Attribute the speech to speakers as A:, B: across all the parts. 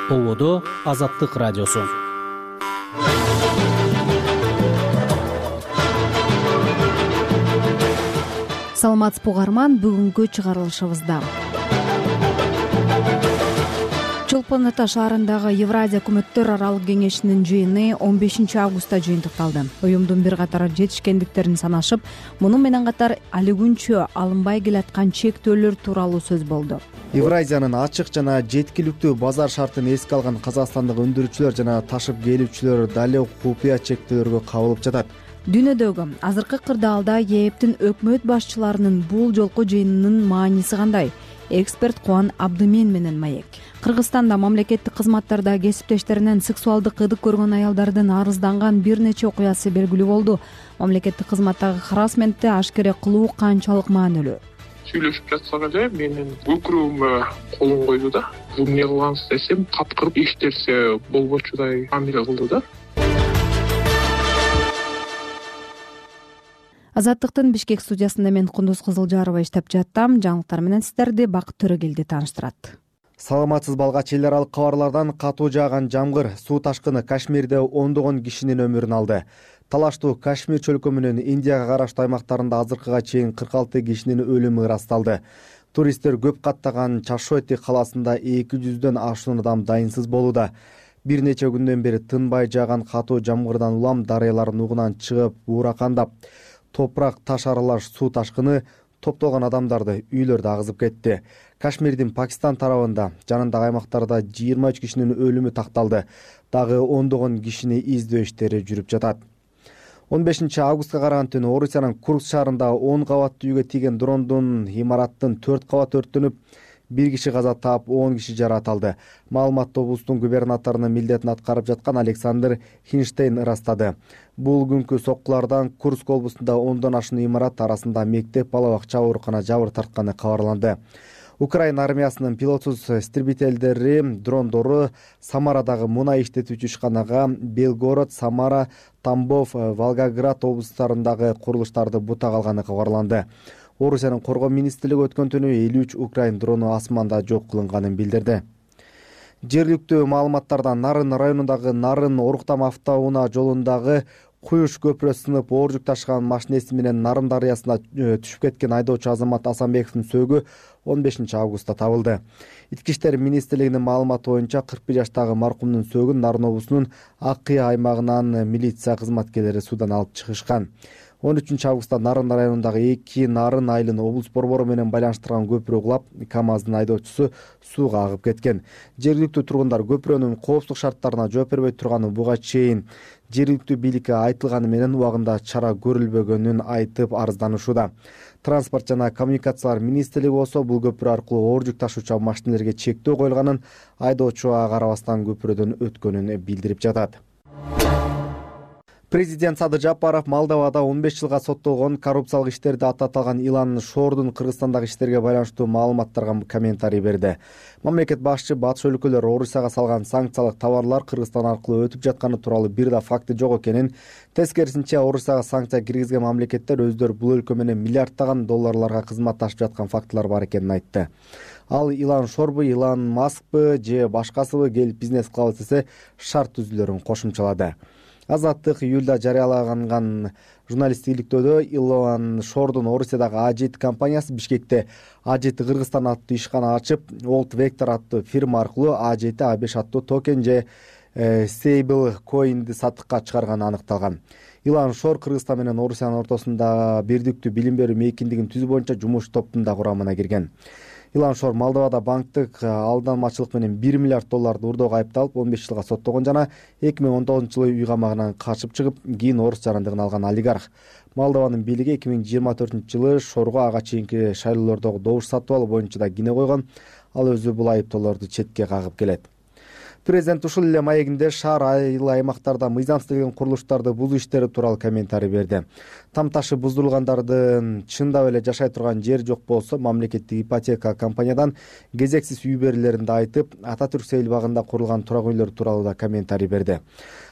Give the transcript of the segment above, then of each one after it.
A: Ободо Азаттык радиосу.
B: Саламатсызбы угарман, бүгүнкү чыгарылышыбызда Чолпон Ата шаарындагы Евразия өкмөттөр аралык кеңешинин жыйыны 15 августта жыйынтыкталды. Уюмдун бир катар жетишкендиктерин санашып, муну менен катар али күнчө алынбай келаткан чектөөлөр тууралуу сөз болду.
C: Евразиянын ачык жана жеткиликтүү базар шартын эске алган казакстандык өндүрүүчүлөр жана ташып келүүчүлөр далек купуя чектөөлөргө кабылып жатат.
B: Дүйнөдөгү азыркы кырдаалда ЕЭПтин өкмөт башчыларынын бул жолку жыйынынын мааниси кандай? Эксперт Кубан Абдымен менен маек. Кыргызстанда мамлекеттик кызматтарда кесиптештеринен сексуалдык ыдык көргөн аялдардын арызданган бир нече окуясы белгилүү болду. Мамлекеттик кызматтагы харассментти ашкере кылуу канчалык маанилүү?
D: Сүйлөшүп жатсак эле менин өкүрүүмө колун койду да. Бул эмне кылгансыз десем, каткырып иштерсе болбочудай мамиле кылды да.
B: Азаттыктын Бишкек студиясында мен Кундуз Кызылжарова иштеп жаттым. Жаңылыктар менен сиздерди Бакыт Төрөгелди тааныштырат.
C: Саламатсыз балгач, эл аралык кабарлардан катуу жааган жамгыр, суу ташкыны Кашмирде ондогон кишинин өмүрүн алды. Талаштуу Кашмир чөлкө менен Индияга караштуу аймактарында азыркыга чейин 46 кишинин өлүмү ырасталды. Туристтер көп каттаган Чашоти калаасында 200дөн ашуун адам дайынсыз болууда. Бир нече күндөн бери тынбай жааган катуу жамгырдан улам дарыялар нугунан чыгып уракандап, топурак таш аралаш суу ташкыны топтолгон адамдарды үйлөрдө агызып кетти. Кашмирдин Пакистан тарабында жанындагы аймактарда 23 кишинин өлүмү такталды. Дагы ондогон кишини издөө иштери жүрүп жатат. 15 августка караган түнү Орусиянын Курск шаарында 10 кабаттуу үйгө тийген дрондун имараттын 4 кабаты өрттөнүп, 1 киши каза таап, 10 киши жаракат алды. Маалыматты облустун губернаторунун милдетин аткарып жаткан Александр Хинштейн ырастады. Бул күнкү соккулардан Курск облустунда 10дон ашуун имарат арасында мектеп, бала бакча, оорукана жабыр тартканы кабарланды. Украина армиясынын пилотсуз истребительдери дрондору Самарадагы мунай иштетүүчү ишканага, Белгород, Самара, Тамбов, Волгоград облустарындагы курулуштарды бутага алганы кабарланды. Орусиянын коргоо министрлиги өткөн түнү 53 украин дрону асманда жок кылынганын билдирди. Жергиликтүү маалыматтардан Нарын районундагы Нарын Оруктам автоунаа жолундагы Куюш көпүрө сынып, оор жүк ташыган машинеси менен Нарын дарыясына түшүп кеткен айдоочу Азамат Асанбековдун сөөгү 15 августта табылды. Ички иштер министрлигинин маалыматы боюнча 41 жаштагы маркумдун сөөгүн Нарын облусунун Ак Кыя аймагынан милиция кызматкерлери суудан алып чыгышкан. 13 августта Нарын районундагы 2 Нарын Айылын облус борбору менен байланыштырган көпүрө кулап, КАМАЗдын айдоочусу сууга агып кеткен. Жергиликтүү тургундар көпүрөнүн коопсуздук шарттарына жооп бербей турганын, буга чейин жергиликтүү бийликке айтылганы менен убагында чара көрүлбөгөнүн айтып арызданышууда. Транспорт жана коммуникациялар министрлиги болсо бул көпүрө аркылуу оор жүк ташуучу машинелерге чектөө коюлганын, айдоочу ага карабастан көпүрөдөн өткөнүн билдирип жатат. Президент Садыр Жапаров Молдовада 15 жылга соттолгон коррупциялык иштерде аты аталган Илан Шордун Кыргызстандагы иштерге байланыштуу маалыматтарга комментарий берди. Мамлекет башчы батыш өлкөлөр Орусияга салган санкциялык товарлар Кыргызстан аркылуу өтүп жатканы тууралуу бир да факты жок экенин, тескерисинче Орусияга санкция киргизген мамлекеттер өздөрү бул өлкө менен миллиарддаган долларларга кызматташып жаткан фактылар бар экенин айтты. Ал Илан Шорбу, Илан Маскпы же башкасыбы келип бизнес кылабыз десе шарт түзүүлөрүн кошумчалады. Азаттык июлда жарыялаган журналисттиктөөдө Илан Шордун Орусиядагы A7 компаниясы Бишкекте A7 Кыргызстан аттуу ишкана ачып, Old Vector аттуу фирма аркылуу A7 A5 аттуу токен же Stable Coin'ди сатыкка чыгарганы аныкталган. Илан Шор Кыргызстан менен Орусиянын ортосунда бирдиктүү билим берүү мейкиндигин түзүү боюнча жумуш топтун да курамына кирген. Илан Шор Молдовада банктык алданмачылык менен 1 миллиард долларды урдоого айыпталып 15 жылга соттолгон жана 2019-жылы үй камагынан качып чыгып, кийин орус жарандыгын алган олигарх. Молдованын бийлиги 2024-жылы Шорго ага чейинки шайлоолордогу добуш сатып алуу боюнча да кине койгон. Ал өзү бул айыптоолорду четке кагып келет. Президент ушул эле маегинде шаар айыл аймактарда мыйзамсыз курулуштарды бузуу иштери тууралуу комментарий берди. Тамташы буздурулгандардын чындап эле жашай турган жери жок болсо, мамлекеттик ипотека компаниядан кезексиз үй берүүлөрүн да айтып, Ататүрк сейил багында курулган турак үйлөр тууралуу да комментарий берди.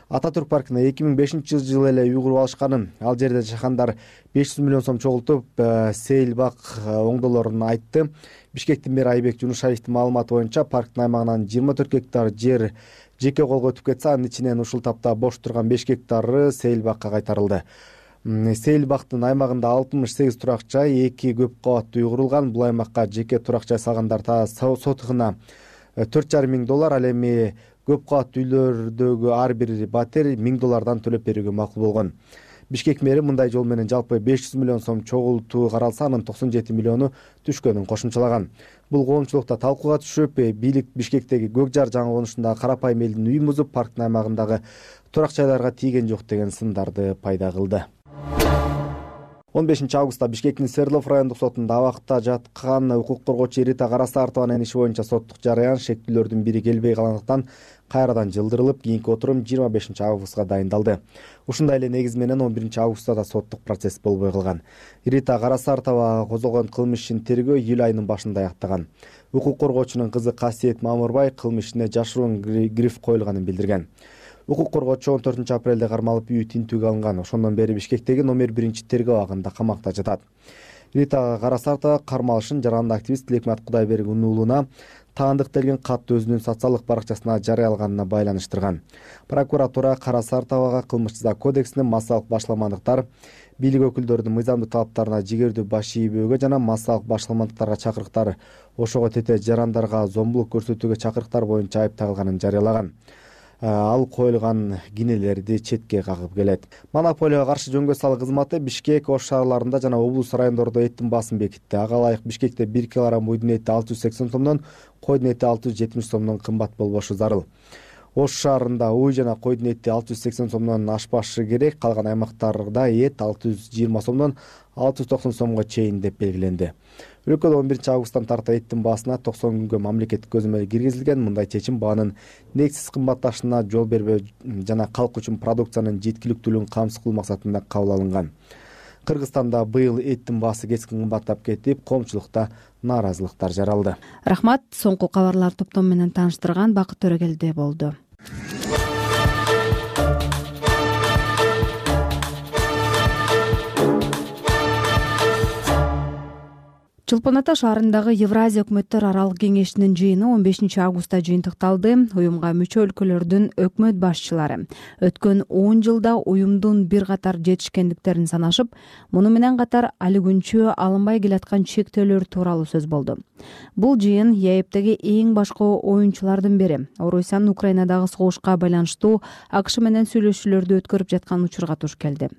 C: Ататүрк паркына 2005-жылы эле үй куруп алышканын, ал жерде жашагандар 500 миллион сом чогултуп, сейил бак оңдолорун айтты. Бишкектин мэри Айбек Жунушаевдин маалыматы боюнча парктын аймагынан 24 гектар жер жеке колго өтүп кетсе, анын ичинен ушул тапта бош турган 5 гектары Сейилбакка кайтарылды. Сейилбактын аймагында 68 турак жай, 2 көп кабаттуу үй курулган. Бул аймакка жеке турак жай салгандар сотыгына $4,500, ал эми көп кабаттуу үйлөрдөгү ар бир батир $1000 төлөп берүүгө макул болгон. Бишкек мэри мындай жол менен жалпы 500 миллион сом чогултуу каралса, анын 97 миллиону түшкөнүн кошумчалаган. Бул коомчулукта талкууга түшүп, бийлик Бишкектеги Көкжар жаңы конушундагы карапайым элдин үйүн бузуп, парктын аймагындагы турак жайларга тийген жок деген сындарды пайда кылды. 15 августта Бишкектин Свердлов райондук сотунда абакта жаткан укук коргоочу Рита Карасартованын иши боюнча соттук жараян шектүүлөрдүн бири келбей калгандыктан кайрадан жылдырылып, кийинки отурум 25 августка дайындалды. Ушундай эле негиз менен 11 августта да соттук процесс болбой калган. Рита Карасартова козголгон кылмыш ишин тергөө июль айынын башында аяктаган. Укук коргоочунун кызы Касиет Мамырбай кылмыш ишине жашыруун гриф коюлганын билдирген. Укук коргоочу 14 апрелде кармалып үйү тинтүүгө алынган. Ошондон бери Бишкектеги номер 1 тергөө абагында камакта жатат. Рита Карасартова кармалышын жарандык активист Тилекмат Кудайбергендин уулуна таандык делген катты өзүнүн социалдык баракчасына жарыялаганына байланыштырган. Прокуратура Карасартовага кылмыш жаза кодексинин массалык башламандыктар, бийлик өкүлдөрүнүн мыйзамдуу талаптарына жигердүү баш ийбөөгө жана массалык башламандыктарга чакырыктар, ошого тете жарандарга зомбулук көрсөтүүгө чакырыктар боюнча айып тагылганын жарыялаган. Ал коюлган кинелерди четке кагып келет. Монополияга каршы жөнгө салуу кызматы Бишкек, Ош шаарларында жана облус райондордо эттин баасын бекитти. Ага ылайык Бишкекте 1 килограмм уйдун эти 680 сомдон, койдун эти 670 сомдон кымбат болбошу зарыл. Ош шаарында уй жана койдун эти 680 сомдон ашпашы керек, калган аймактарда эт 620 сомдон 690 сомго чейин деп белгиленди. Өлкөдө 11 августтан тарта эттин баасына 90 күнгө мамлекеттик көзөмөл киргизилген. Мындай чечим баанын негизсиз кымбатташына жол бербөө жана калк үчүн продукциянын жеткиликтүүлүгүн камсыз кылуу максатында кабыл алынган. Кыргызстанда быйыл эттин баасы кескин кымбаттап кетип, коомчулукта нааразылыктар жаралды.
B: Рахмат. Соңку кабарлар топтому менен тааныштырган Бакыт Төрөгелди болду. Чолпон Ата шаарындагы Евразия өкмөттөр аралык кеңешинин жыйыны 15 августта жыйынтыкталды. Уюмга мүчө өлкөлөрдүн өкмөт башчылары өткөн 10 жылда уюмдун бир катар жетишкендиктерин санашып, муну менен катар али күнчө алынбай келаткан чектөөлөр тууралуу сөз болду. Бул жыйын ЕЭПтеги эң башкы оюнчулардын бири. Орусиянын Украинадагы согушка байланыштуу АКШ менен сүйлөшүүлөрдү өткөрүп жаткан учурга туш келди.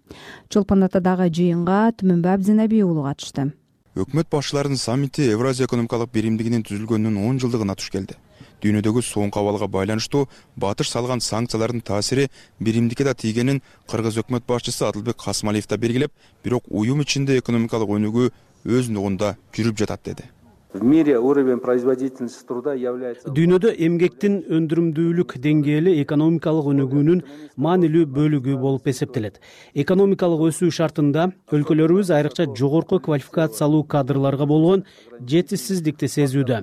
B: Чолпон Атадагы жыйынга Түмөнбай Абдзенеби уулу катышты.
E: Өкмөт башчыларынын саммити Евразия экономикалык биримдигинин түзүлгөнүнүн 10 жылдыгына туш келди. Дүйнөдөгү соңку абалга байланыштуу батыш салган санкциялардын таасири биримдикке да тийгенин Кыргыз өкмөт башчысы Адылбек Касмалиев да белгилеп, бирок уюм ичинде экономикалык өнүгүү өз нугунда жүрүп жатат деди.
F: В мире уровень производительности труда является...
A: Дүйнөдө эмгектин өндүрүмдүүлүк деңгээли экономикалык өнүгүүнүн маанилүү бөлүгү болуп эсептелет. Экономикалык өсүү шартында өлкөлөрүбүз айрыкча жогорку квалификациялуу кадрларга болгон жетишсиздикти сезүүдө.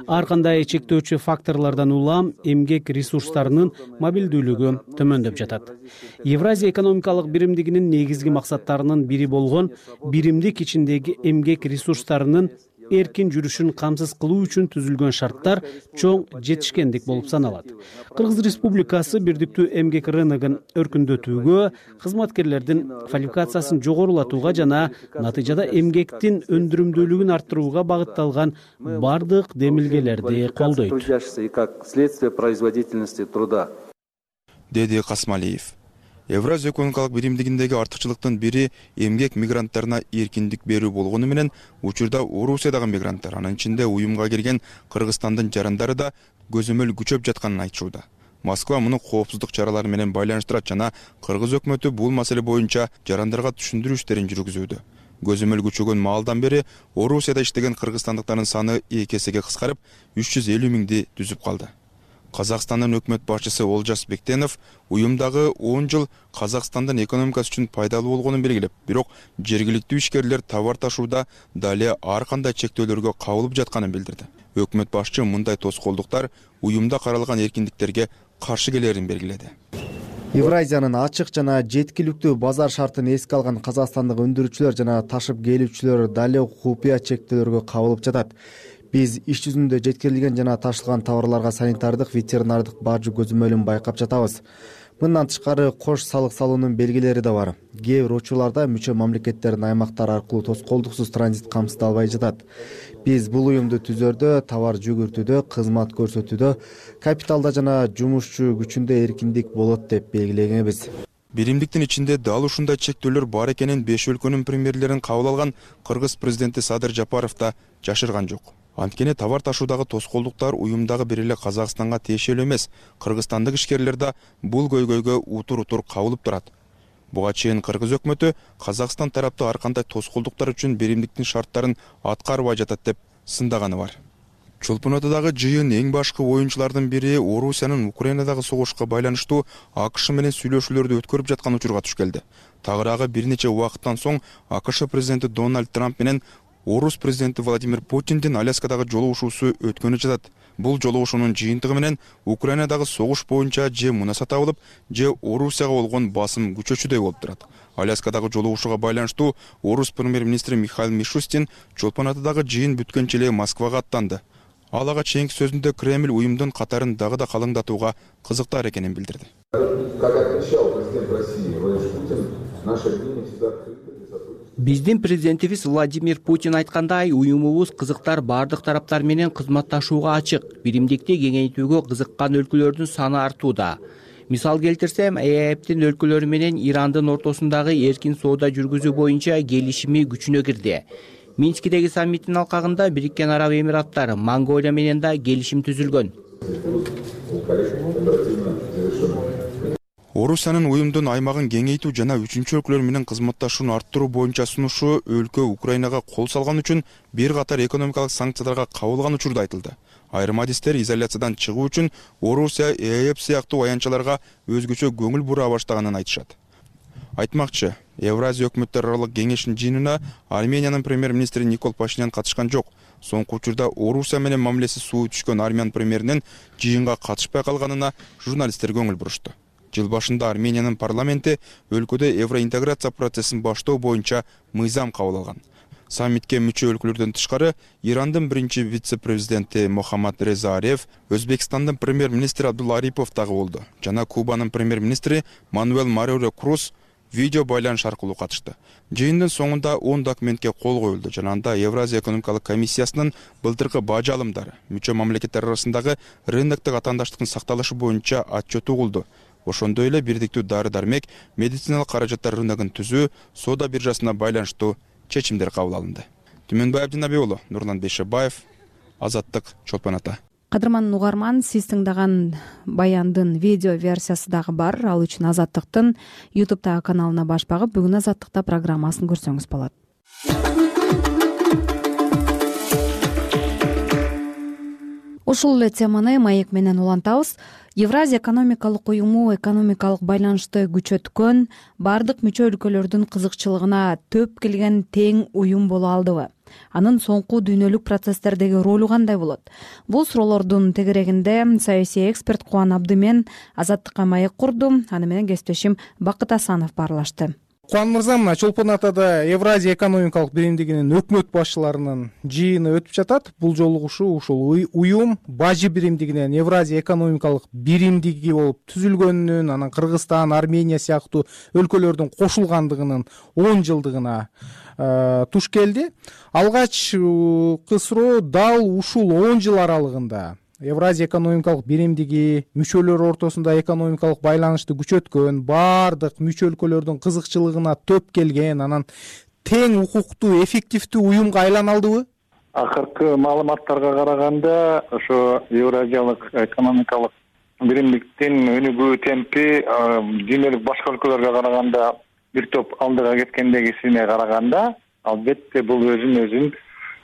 A: Ар кандай чектөөчү факторлордон улам эмгек ресурстарынын мобилдүүлүгү төмөндөп жатат. Евразия экономикалык биримдигинин негизги максаттарынын бири болгон биримдик ичиндеги эмгек ресурстарынын эркин жүрүшүн камсыз кылуу үчүн түзүлгөн шарттар чоң жетишкендик болуп саналат. Кыргыз Республикасы бирдиктүү эмгек рыногун өркүндөтүүгө, кызматкерлердин квалификациясын жогорулатууга жана натыйжада эмгектин өндүрүмдүүлүгүн арттырууга багытталган бардык демилгелерди колдойт,
E: деди Касмалиев. Евразия экономикалык биримдигиндеги артыкчылыктын бири эмгек мигранттарына эркиндик берүү болгону менен учурда Орусиядагы мигранттар, анын ичинде уюмга кирген Кыргызстандын жарандары да көзөмөл күчөп жатканын айтышууда. Москва муну коопсуздук чаралары менен байланыштырат жана Кыргыз өкмөтү бул маселе боюнча жарандарга түшүндүрүү иштерин жүргүзүүдө. Көзөмөл күчөгөн маалдан бери Орусияда иштеген кыргызстандыктардын саны 2 эсеге кыскарып, 350 миңди түзүп калды. Казакстандын өкмөт башчысы Олжас Бектенов уюмдагы 10 жыл Казакстандын экономикасы үчүн пайдалуу болгонун белгилеп, бирок жергиликтүү ишкерлер товар ташууда дали ар кандай чектөөлөргө кабылып жатканын билдирди. Өкмөт башчы мындай тоскоолдуктар уюмда каралган эркиндиктерге каршы келерин белгиледи.
C: Евразиянын ачык жана жеткиликтүү базар шартын эске алган казакстандык өндүрүүчүлөр жана ташып келүүчүлөр дали купуя чектөөлөргө кабылып жатат. Биз иш жүзүндө жеткирилген жана ташылган товарларга санитардык, ветеринардык бажы көзөмөлүн байкап жатабыз. Мындан тышкары кош салык салуунун белгилери да бар. Кээ бир учурларда мүчө мамлекеттердин аймактары аркылуу тоскоолдуксуз транзит камсыздалбай жатат. Биз бул уюмду түзөрдө, товар жүгүртүүдө, кызмат көрсөтүүдө, капиталда жана жумушчу күчүндө эркиндик болот деп белгилегенбиз.
E: Биримдиктин ичинде дал ушундай чектөөлөр бар экенин 5 өлкөнүн премьерлерин кабыл алган Кыргыз президенти Садыр Жапаров да жашырган жок. Анткени товар ташуудагы тоскоолдуктар уюмдагы бир эле Казакстанга тиешелүү эмес. Кыргызстандык ишкерлер да бул көйгөйгө утур кабылып турат. Буга чейин Кыргыз өкмөтү Казакстан тарапты ар кандай тоскоолдуктар үчүн биримдиктин шарттарын аткарбай жатат деп сындаганы бар. Чолпон атадагы жыйын эң башкы оюнчулардын бири Орусиянын Украинадагы согушка байланыштуу АКШ менен сүйлөшүүлөрдү өткөрүп жаткан учурга туш келди. Тагыраагы бир нече убакыттан соң АКШ президенти Дональд Трамп менен Орус президенти Владимир Путиндин Аляскадагы жолугушуусу өткөнү жатат. Бул жолугушуунун жыйынтыгы менен Украинадагы согуш боюнча же мунаса табылып, же Орусияга болгон басым күчөчүдөй болуп турат. Аляскадагы жолугушууга байланыштуу Орус премьер-министри Михаил Мишустин Чолпон атадагы жыйын бүткөнчө эле Москвага аттанды. Ал ага чейинки сөзүндө Кремль уюмдун катарын дагы да калыңдатууга кызыктар экенин билдирди.
G: Биздин президентибиз Владимир Путин айткандай, уюмубуз кызыктар бардык тараптар менен кызматташууга ачык. Биримдикти кеңейтүүгө кызыккан өлкөлөрдүн саны артууда. Мисал келтирсем, ЭЭПтин өлкөлөрү менен Ирандын ортосундагы эркин соода жүргүзүү боюнча келишими күчүнө кирди. Минскидеги саммиттин алкагында Бириккен Араб Эмираттары, Монголия менен да келишим түзүлгөн.
E: Орусиянын уюмдун аймагын кеңейтүү жана үчүнчү өлкөлөр менен кызматташууну арттыруу боюнча сунушу өлкө Украинага кол салган үчүн бир катар экономикалык санкцияларга кабылган учурда айтылды. Айрым адистер изоляциядан чыгуу үчүн Орусия ЭЭП сыяктуу аянтчаларга өзгөчө көңүл бура баштаганын айтышат. Айтмакчы, Евразия өкмөттөр аралык кеңешинин жыйынына Армениянын премьер-министри Никол Пашинян катышкан жок. Соңку учурда Орусия менен мамилеси суу түшкөн Армян премьеринин жыйынга катышпай калганына журналисттер көңүл бурушту. Жыл башында Армениянын парламенти өлкөдө евроинтеграция процессин баштоо боюнча мыйзам кабыл алган. Саммитке мүчө өлкөлөрдөн тышкары Ирандын биринчи вице-президенти Мохаммад Реза Ареф, Өзбекстандын премьер-министри Абдулла Арипов дагы болду. Жана Кубанын премьер-министри Мануэль Мореро Круз видео байланыш аркылуу катышты. Жыйындын соңунда 10 документке кол коюлду жана анда Евразия экономикалык комиссиясынын былтыркы бажы алымдары, мүчө мамлекеттер арасындагы рыноктук атаандаштыктын сакталышы боюнча отчет угулду. Ошондой эле бирдиктүү дары-дармек, медициналык каражаттар рыногун түзүү, соода биржасына байланыштуу чечимдер кабыл алынды. Түмөнбай Абдинаби уулу, Нурлан Бейшебаев, Азаттык, Чолпон ата.
B: Кадырман угарман, сиз тыңдаган баяндын видео версиясы дагы бар. Ал үчүн Азаттыктын YouTube'дагы каналына баш багып, бүгүн Азаттыкта программасын көрсөңүз болот. Ушул эле теманы маек менен улантабыз. Евразия экономикалык уюму экономикалык байланышты күчөткөн, бардык мүчө өлкөлөрдүн кызыкчылыгына төп келген тең уюм боло алдыбы? Анын соңку дүйнөлүк процесстердеги ролу кандай болот? Бул суроолордун тегерегинде саясий эксперт Кубан Абдымен Азаттыкка маек курду. Аны менен кесиптешим Бакыт Асанов баарлашты.
H: Кубан мырза, мына Чолпон атада Евразия экономикалык биримдигинин өкмөт башчыларынын жыйыны өтүп жатат. Бул жолугушуу ушул уюм бажы биримдигинен Евразия экономикалык биримдиги болуп түзүлгөнүнүн, анан Кыргызстан, Армения сыяктуу өлкөлөрдүн кошулгандыгынын 10 жылдыгына туш келди. Алгачкы суроо дал ушул 10 жыл аралыгында Евразия экономикалык биримдиги мүчөлөр ортосунда экономикалык байланышты күчөткөн, бардык мүчө өлкөлөрдүн кызыкчылыгына төп келген, анан тең укуктуу, эффективдүү уюмга айлана алдыбы?
I: Акыркы маалыматтарга караганда, ошо Евразиялык экономикалык биримдиктин өнүгүү темпи дүйнөлүк башка өлкөлөргө караганда бир топ алдыга кеткендегисине караганда, албетте бул өзүн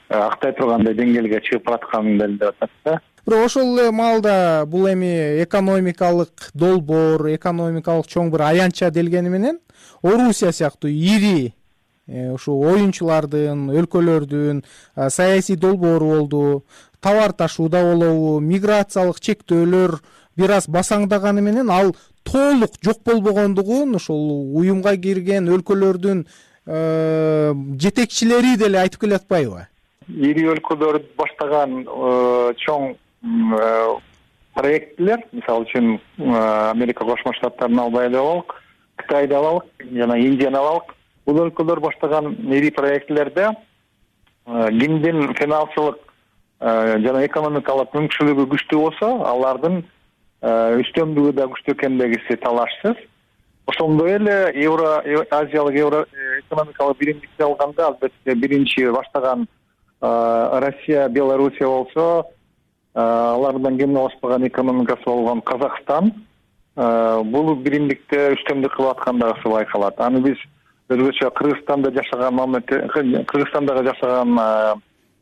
I: актай тургандай деңгээлге чыгып баратканын билдирип атат да.
H: Бирок ошол эле маалда бул эми экономикалык долбоор, экономикалык чоң бир аянтча делгени менен Орусия сыяктуу ири ушу оюнчулардын, өлкөлөрдүн саясий долбоору болду, товар ташууда болобу, миграциялык чектөөлөр бир аз басаңдаганы менен ал толук жок болбогондугун ошол уюмга кирген өлкөлөрдүн жетекчилери деле айтып келе атпайбы?
I: Ири өлкөлөр баштаган чоң проекттер, мисалы үчүн Америка Кошмо Штаттарын албай эле алалык, Кытайды алалык жана Индияны алалык. Бул өлкөлөр баштаган ири проектлерде кимдин финансылык жана экономикалык мүмкүнчүлүгү күчтүү болсо, алардын үстөмдүгү да күчтүү экендигиси талашсыз. Ошондой эле Азиялык экономикалык биримдикти алганда, албетте биринчи баштаган Россия, Белоруссия болсо, алардан кем алышпаган экономикасы болгон Казакстан бул биримдикте үстөмдүк кылып аткандыгы байкалат. Аны биз өзгөчө Кыргызстандагы жашаган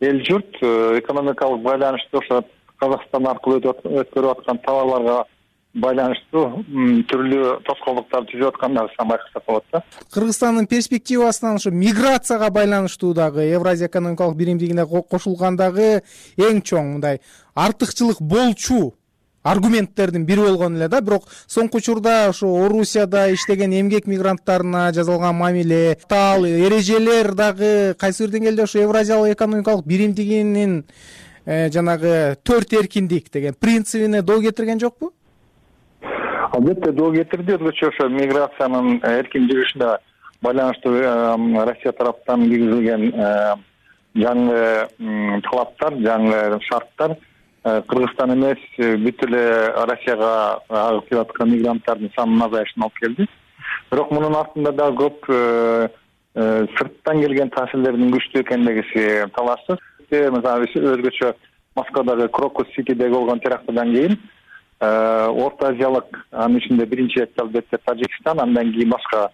I: эл журт экономикалык байланышты ошо Казакстан аркылуу өткөрүп аткан товарларга байланыштуу түрлүү тоскоолдуктарды түзүп аткандыгын байкасак болот да.
H: Кыргызстандын перспективасынан ошо миграцияга байланыштуу дагы Евразия экономикалык биримдигине кошулгандагы эң чоң мындай артыкчылык болчу аргументтердин бири болгон эле да. Бирок соңку учурда ошо Орусияда иштеген эмгек мигранттарына жасалган мамиле, эрежелер дагы кайсы бир деңгээлде ошо Евразиялык экономикалык биримдигинин жанагы төрт эркиндик деген принцибине доо кетирген жокпу?
I: Албетте доо кетирди. Өзгөчө ошо миграциянын эркин жүрүшүнө байланыштуу Россия тараптан киргизилген жаңы талаптар, жаңы шарттар Кыргызстан эмес, бүт эле Россияга агып келип аткан мигранттардын санынын азайышына алып келди. Бирок мунун артында да көп сырттан келген таасирлердин күчтүү экендиги талашсыз. Мисалы өзгөчө Москвадагы Крокус Ситидеги болгон терактыдан кийин Орто Азиялык, анын ичинде биринчи четте албетте Тажикстан, андан кийин башка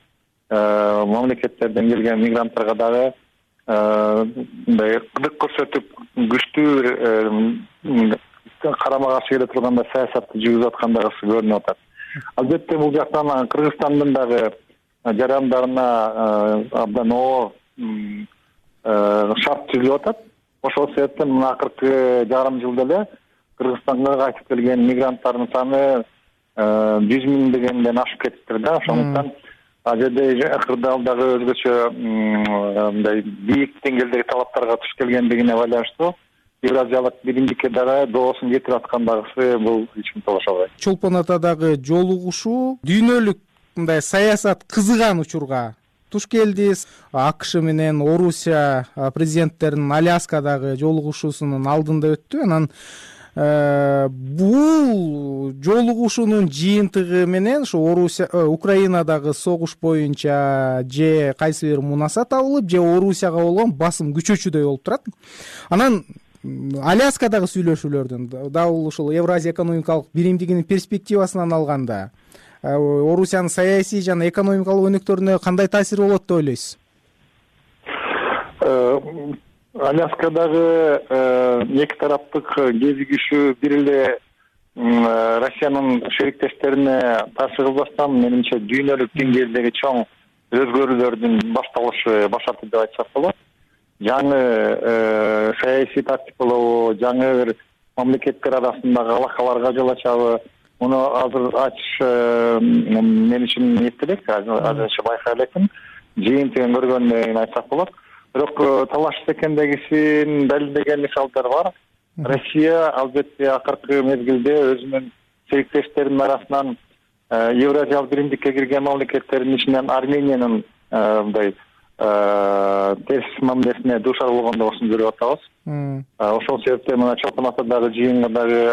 I: мамлекеттерден келген мигранттарга дагы мындай кыдык көрсөтүп күчтүү карама каршы келе турганда саясатты жүргүзүп аткандыгы көрүнүп атат. Албетте бул жактан Кыргызстандын дагы жарандарына абдан оор шарт түзүлүп атат. Ошол себептен мына акыркы жарым жылда эле Кыргызстанга кайтып келген мигранттардын саны 100 000 дегенден ашып кетиптир да. Ошондуктан ал жерде кырдаалдагы өзгөчө мындай бийик деңгээлдеги талаптарга туш келгендигине байланыштуу Евразиялык биримдикке дагы доосун кетирип аткандыгы бул эч ким талаша албайт.
H: Чолпон Атадагы жолугушуу дүйнөлүк мындай саясат кызыган учурга туш келди. АКШ менен Орусия президенттеринин Аляскадагы жолугушуусунун алдында өттү. Анан бул жолугушуунун жыйынтыгы менен ошо Украинадагы согуш боюнча же кайсы бир мунаса табылып, же Орусияга болгон басым күчөчүдөй болуп турат. Анан Аляскадагы сүйлөшүүлөрдүн дабыл ушул Евразия экономикалык биримдигинин перспективасынан алганда Орусиянын саясий жана экономикалык өнөктөрүнө кандай таасири болот деп ойлойсуз?
I: Аляскадагы эки тараптык кезигишүү бир эле Россиянын шериктештерине таасир кылбастан, менимче дүйнөлүк деңгээлдеги чоң өзгөрүүлөрдүн башталышы башарды деп айтсак болот. Жаңы саясий тактикалоо, жаңы бир мамлекеттер арасындагы алакаларга жол ачабы, муну азыр ачыш мен үчүн эптелек, азырынча байкай элекмин. Жыйынтыгын көргөндөн айтсак болот. Бирок талашсыз экендигисин далилдеген мисалдар бар. Россия албетте акыркы мезгилде өзүнүн сериктештеринин арасынан Евразиялык биримдикке кирген мамлекеттердин ичинен Армениянын мындай терс мамилесине дуушар болгондугун көрүп атабыз. Ошол себептен мына Чолпон Атадагы жыйынга дагы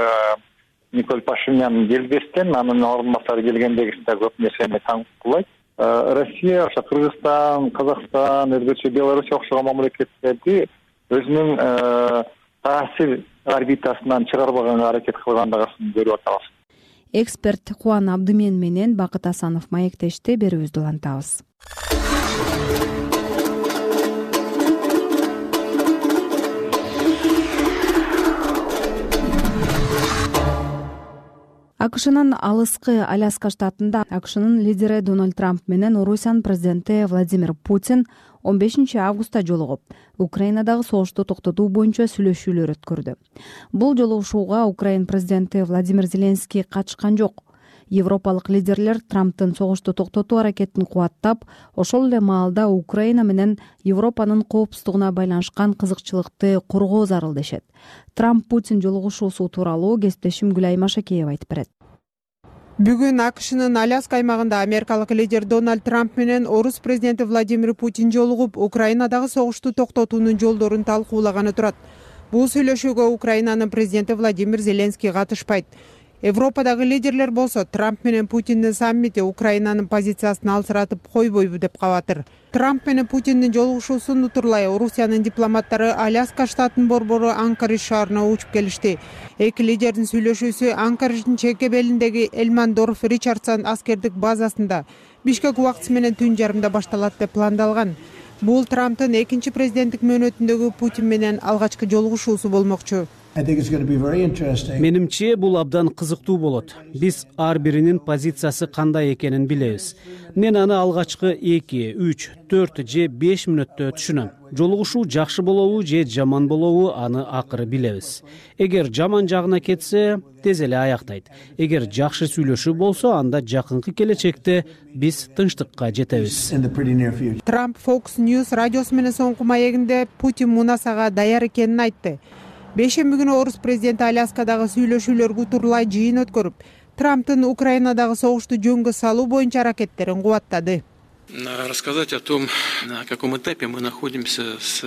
I: Николь Пашинян келбестен, анын орун басары келгендегиси да көп нерсени таңкуулайт. Россия, ошо Кыргызстан, Казакстан, өзгөчө Белоруссия окшогон мамлекеттерди өзүнүн таасир орбитасынан чыгарбаганга аракет кылгандыгын көрүп атабыз.
B: Эксперт Кубан Абдымен менен Бакыт Асанов маектешти. Берүүбүздү улантабыз. АКШнын алыскы Аляска штатында АКШнын лидери Дональд Трамп менен Орусиянын президенти Владимир Путин 15 августта жолугуп, Украинадагы согушту токтотуу боюнча сүйлөшүүлөр өткөрдү. Бул жолугушууга Украин президенти Владимир Зеленский катышкан жок. Европалык лидерлер Трамптын согушту токтотуу аракетин кубаттап, ошол эле маалда Украина менен Европанын коопсуздугуна байланышкан кызыкчылыкты коргоо зарыл дешет. Трамп-Путин жолугушуусу тууралуу кесиптешим Гүлай Машакеева айтып берет.
J: Бүгүн АКШнын Аляска аймагында америкалык лидер Дональд Трамп менен орус президенти Владимир Путин жолугуп, Украинадагы согушту токтотуунун жолдорун талкуулаганы турат. Бул сүйлөшүүгө Украинанын президенти Владимир Зеленский катышпайт. Европадагы лидерлер болсо Трамп менен Путиндин саммити Украинанын позициясын алсыратып койбойбу деп кабатыр. Трамп менен Путиндин жолугушуусун утурлай Орусиянын дипломаттары Аляска штатынын борбору Анкоридж шаарына учуп келишти. Эки лидердин сүйлөшүүсү Анкоридждин чекке белиндеги Элмандорф Ричардсон аскердик базасында Бишкек убактысы менен түн жарымда башталат деп пландалган. Бул Трамптын экинчи президенттик мөөнөтүндөгү Путин менен алгачкы жолугушуусу болмокчу.
A: Менимче бул абдан кызыктуу болот. Биз ар биринин позициясы кандай экенин билебиз. Мен аны алгачкы 2, 3, 4 же 5 мүнөттө түшүнөм. Жолугушуу жакшы болобу же жаман болобу аны акыры билебиз. Эгер жаман жагына кетсе, тез эле аяктайт. Эгер жакшы сүйлөшүү болсо, анда жакынкы келечекте биз тынчтыкка жетебиз.
J: Трамп Fox News радиосу менен соңку маегинде Путин мунасага даяр экенин айтты. Бейшемби күнү орус президенти Аляскадагы сүйлөшүүлөргө утурлай жыйын өткөрүп, Трамптын Украинадагы согушту жөнгө салуу боюнча аракеттерин кубаттады.
K: Рассказать о том, на каком этапе мы находимся с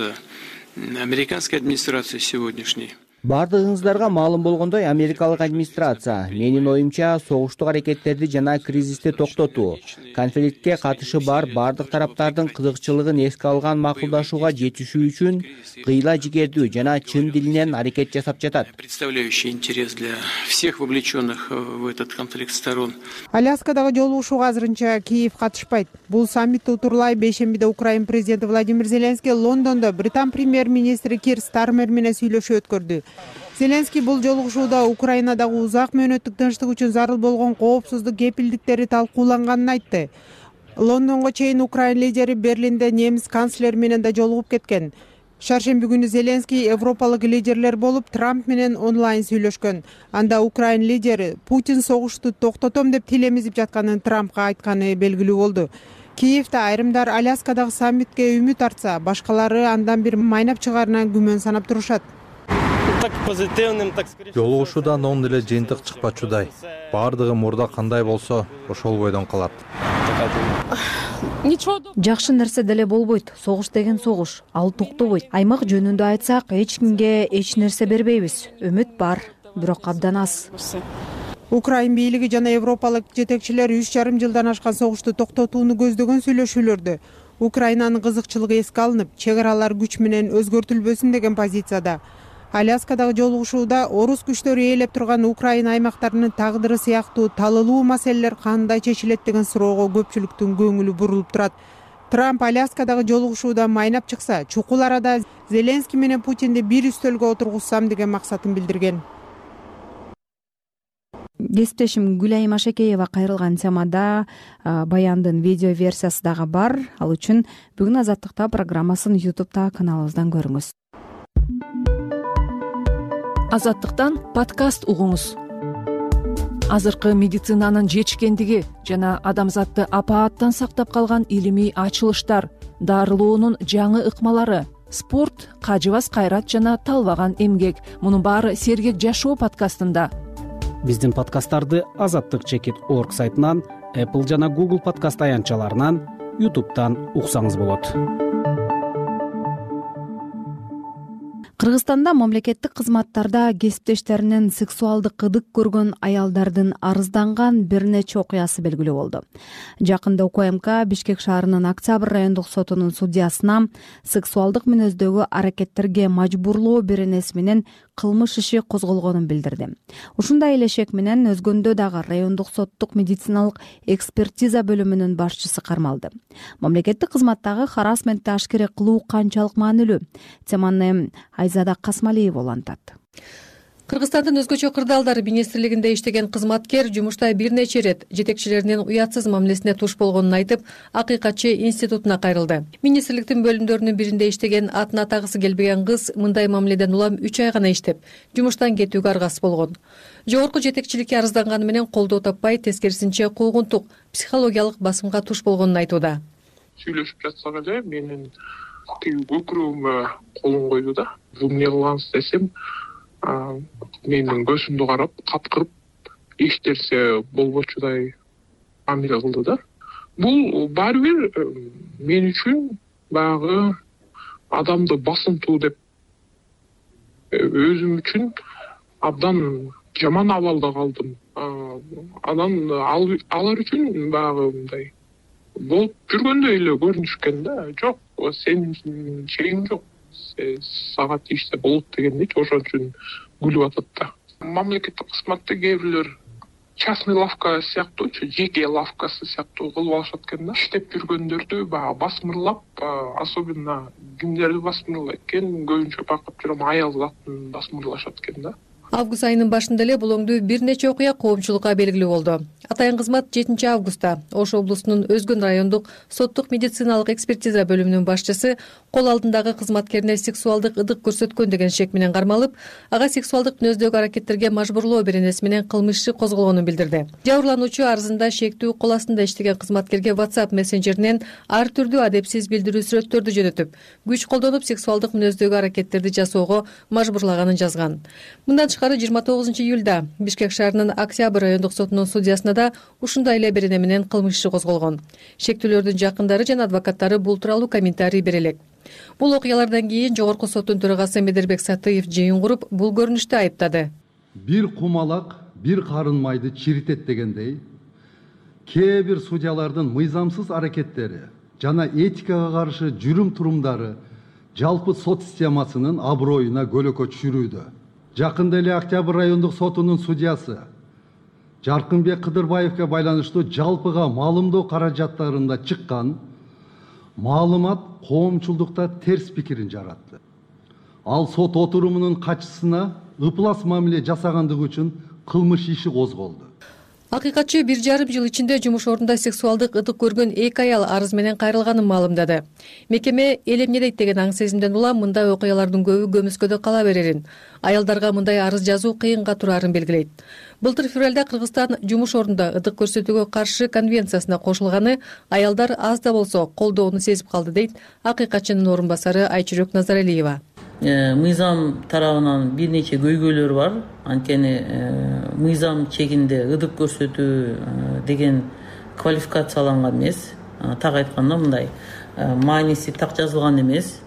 K: американской администрацией сегодняшней.
G: Бардыгыңыздарга маалым болгондой, америкалык администрация менин оюмча согуштук аракеттерди жана кризисти токтотуу, конфликтке катышы бар бардык тараптардын кызыкчылыгын эске алган макулдашууга жетишүү үчүн кыйла жигердүү жана чын дилинен аракет жасап жатат.
K: Представляющий интерес для всех вовлеченных в этот конфликт сторон.
J: Аляскадагы жолугушууга азырынча Киев катышпайт. Бул саммитти утурлай бейшембиде Украина президенти Владимир Зеленский Лондондо Британ премьер-министри Кир Стармер менен сүйлөшүү өткөрдү. Зеленский бул жолугушууда Украинадагы узак мөөнөттүк тынчтык үчүн зарыл болгон коопсуздук кепилдиктери талкууланганын айтты. Лондонго чейин Украина лидери Берлинде немис канцлери менен да жолугуп кеткен. Шаршемби күнү Зеленский европалык лидерлер болуп Трамп менен онлайн сүйлөшкөн. Анда Украина лидери Путин согушту токтотом деп тилемизип жатканын Трампка айтканы белгилүү болду. Киевде айрымдар Аляскадагы саммитке үмүт артса, башкалары андан бир майнап чыгаарынан күмөн санап турушат.
L: Жолугушуудан оң эле жыйынтык чыкпачудай. Бардыгы мурда кандай болсо, ошол бойдон калат.
B: Жакшы нерсе деле болбойт. Согуш деген согуш, ал токтобойт. Аймак жөнүндө айтсак, эч кимге эч нерсе бербейбиз. Үмүт бар, бирок абдан аз.
J: Украин бийлиги жана европалык жетекчилер 3,5 жылдан ашкан согушту токтотууну көздөгөн сүйлөшүүлөрдө Украинанын кызыкчылыгы эске алынып, чек аралар күч менен өзгөртүлбөсүн деген позицияда. Аляскадагы жолугушууда орус күчтөрү ээлеп турган Украина аймактарынын тагдыры сыяктуу талылуу маселелер кандай чечилет деген суроого көпчүлүктүн көңүлү бурулуп турат. Трамп Аляскадагы жолугушууда майнап чыкса, чукул арада Зеленский менен Путинди бир үстөлгө отургузсам деген максатын билдирген.
B: Кесиптешим Гүлай Машакеева кайрылган темада баяндын видео версиясы дагы бар. Ал үчүн бүгүн Азаттыкта программасын YouTube'да каналыбыздан көрүңүз.
M: Азаттыктан подкаст угуңуз. Азыркы медицинанын жетишкендиги жана адамзатты апааттан сактап калган илимий ачылыштар, дарылоонун жаңы ыкмалары, спорт, кажыбас кайрат жана талбаган эмгек. Мунун баары Сергек жашоо подкастында.
A: Биздин подкасттарды azattik.org сайтынан, Apple жана Google подкаст аянтчаларынан, YouTube'дан уксаңыз болот.
B: Кыргызстанда мамлекеттик кызматтарда кесиптештеринен сексуалдык ыдык көргөн аялдардын арызданган бир нече окуясы белгилүү болду. Жакында УКМК Бишкек шаарынын Октябрь райондук сотунун судьясына сексуалдык мүнөздөгү аракеттерге мажбурлоо беренеси менен кылмыш иши козголгонун билдирди. Ушундай эле шек менен өзгөндө дагы райондук соттук медициналык экспертиза бөлүмүнүн башчысы кармалды. Мамлекеттик кызматтагы харассментти ашкере кылуу канчалык маанилүү? Теманы Айзада Касмалиева улантат.
N: Кыргызстандын өзгөчө кырдаалдар министрлигинде иштеген кызматкер жумушта бир нече ирет жетекчилеринин уятсыз мамилесине туш болгонун айтып, Акыйкатчы институтуна кайрылды. Министрликтин бөлүмдөрүнүн биринде иштеген атын атагысы келбеген кыз мындай мамиледен улам 3 ай гана иштеп, жумуштан кетүүгө аргасыз болгон. Жогорку жетекчиликке арызданганы менен колдоо таппай, тескерисинче куугунтук, психологиялык басымга туш болгонун айтууда.
D: Сүйлөшүп жатсак эле менин тиги көкүрөгүмө колун койду да. Бул эмне кылгансыз десем, менин көзүмдү карап, каткырып, эчтерсе болбочудай мамиле кылды да. Бул баары бир мен үчүн баягы адамды басынтуу деп, өзүм үчүн абдан жаман абалда калдым. Анан алар үчүн баягы мындай болуп жүргөндөй эле көрүнүшкөн да. Жок, сенин чегиң жок. Сага тийишсе болот дегендей, ошон үчүн күлүп атат да. Мамлекеттик кызматты кээ бирлер частный лавка сыяктуу, жеке лавкасы сыяктуу кылып алышат экен да. Иштеп жүргөндөрдү баягы басмырлап, особенно кимдерди басмырлайт экен, көбүнчө байкап жүрөм, аял затын басмырлашат экен да.
N: Август айынын башында эле бул оңдуу бир нече окуя коомчулукка белгилүү болду. Атайын кызмат 7 августта Ош облусунун Өзгөн райондук соттук медициналык экспертиза бөлүмүнүн башчысы кол алдындагы кызматкерине сексуалдык ыдык көрсөткөн деген шек менен кармалып, ага сексуалдык мүнөздөгү аракеттерге мажбурлоо беренеси менен кылмыш иши козголгонун билдирди. Жабырлануучу арызында шектүү кол астында иштеген кызматкерге WhatsApp мессенджеринен ар түрдүү адепсиз билдирүү сүрөттөрдү жөнөтүп, күч колдонуп сексуалдык мүнөздөгү аракеттерди жасоого мажбурлаганын жазган. Мындан 29 июлда Бишкек шаарынын Октябрь райондук сотунун судьясына да ушундай эле берене менен кылмыш иши козголгон. Шектүүлөрдүн жакындары жана адвокаттары бул тууралуу комментарий бере элек. Бул окуялардан кийин жогорку соттун төрагасы Медербек Сатыев жыйын куруп, бул көрүнүштү айыптады.
O: Бир кумалак, бир карын майды чиритет дегендей, кээ бир судьялардын мыйзамсыз аракеттери жана этикага каршы жүрүм турумдары жалпы сот системасынын аброюна көлөкө түшүрүүдө. Жакында эле Октябрь райондук сотунун судьясы Жаркынбек Кыдырбаевге байланыштуу жалпыга маалымдоо каражаттарында чыккан маалымат коомчулдукта терс пикирин жаратты. Ал сот отурумунун катчысына ыплас мамиле жасагандыгы үчүн кылмыш иши козголду.
N: Акыйкатчы 1,5 жыл ичинде жумуш ордунда сексуалдык ыдык көргөн 2 аял арыз менен кайрылганын маалымдады. Мекеме эл эмне дейт деген аң сезимден улам мындай окуялардын көбү көмүскөдө кала берерин, аялдарга мындай арыз жазуу кыйынга турарын белгилейт. Былтыр февралда Кыргызстан жумуш ордунда ыдык көрсөтүүгө каршы конвенциясына кошулганы аялдар аз да болсо колдоону сезип калды дейт акыйкатчынын орун басары Айчүрөк Назаралиева.
P: Мыйзам тарабынан бир нече көйгөйлөр бар. Анткени мыйзам чегинде ыдык көрсөтүү деген квалификацияланган эмес. Так айтканда мындай мааниси так жазылган эмес.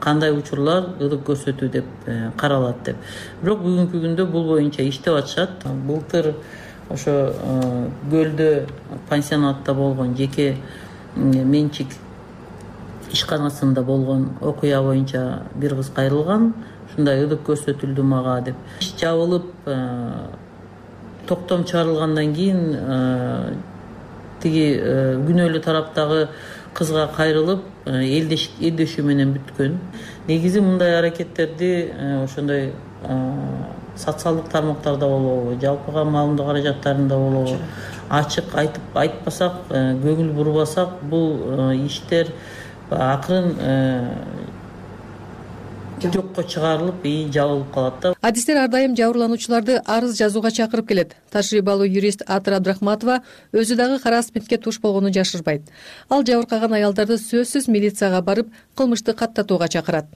P: Кандай учурлар ыдык көрсөтүү деп каралат деп. Бирок бүгүнкү күндө бул боюнча иштеп атышат. Былтыр ошо Көлдө пансионатта болгон жеке менчик ишканасында болгон окуя боюнча бир кыз кайрылган. Ушундай ыдык көрсөтүлдү мага деп. Иш жабылып, токтом чыгарылгандан кийин тиги күнөөлүү тараптагы кызга кайрылып, элдешүү менен бүткөн. Негизи мындай аракеттерди ошондой социалдык тармактарда болобу, жалпыга маалымдоо каражаттарында болобу, ачык айтып айтпасак, көңүл бурбасак, бул иштер акырын жокко чыгарылып, жабылып калат да.
N: Адистер ар дайым жабырлануучуларды арыз жазууга чакырып келет. Тажрыйбалуу юрист Атыр Абдрахматова өзү дагы харассментке туш болгонун жашырбайт. Ал жабыркаган аялдарды сөзсүз милицияга барып, кылмышты каттатууга чакырат.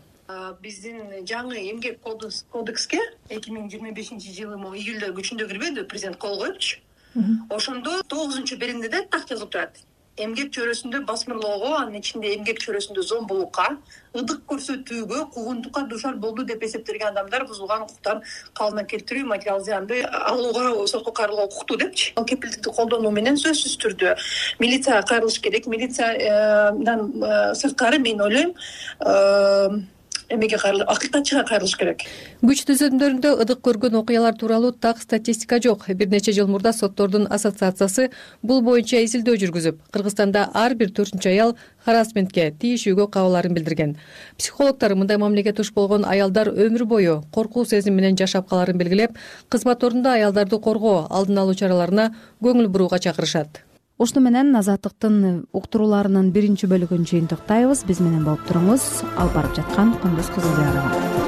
Q: Биздин жаңы эмгек кодекске 2025-жылы июлда күчүндө кирбеди, президент кол коюпчу. Ошондо 9-беренеде так жазылып турат. Эмгек чөйрөсүндө басмырлоого, анын ичинде эмгек чөйрөсүндө зомбулукка, ыдык көрсөтүүгө, куугунтукка дуушар болду деп эсептелген адамдар бузулган укуктарын калыбына келтирүү, материал зыянды алууга, сотко кайрылууга укуктуу депчи. Ал кепилдикти колдонуу менен сөзсүз түрдө милицияга кайрылыш керек. Милициядан сырткары мен ойлойм, эмеге акыйкатчыга кайрылыш керек.
N: Күч түзөмдөрүндө ыдык көргөн окуялар тууралуу так статистика жок. Бир нече жыл мурда соттордун ассоциациясы бул боюнча изилдөө жүргүзүп, Кыргызстанда ар бир 4-чү аял харассментке, тийишүүгө кабыларын билдирген. Психологдор мындай мамилеге туш болгон аялдар өмүр бою коркуу сезими менен жашап каларын белгилеп, кызмат ордунда аялдарды коргоо, алдын алуу чараларына көңүл бурууга чакырышат.
B: Ушуну менен Азаттыктын уктурууларынын биринчи бөлүгүн жыйынтыктайбыз. Биз менен болуп туруңуз. Алып барып жаткан Кундуз Кызылбекова.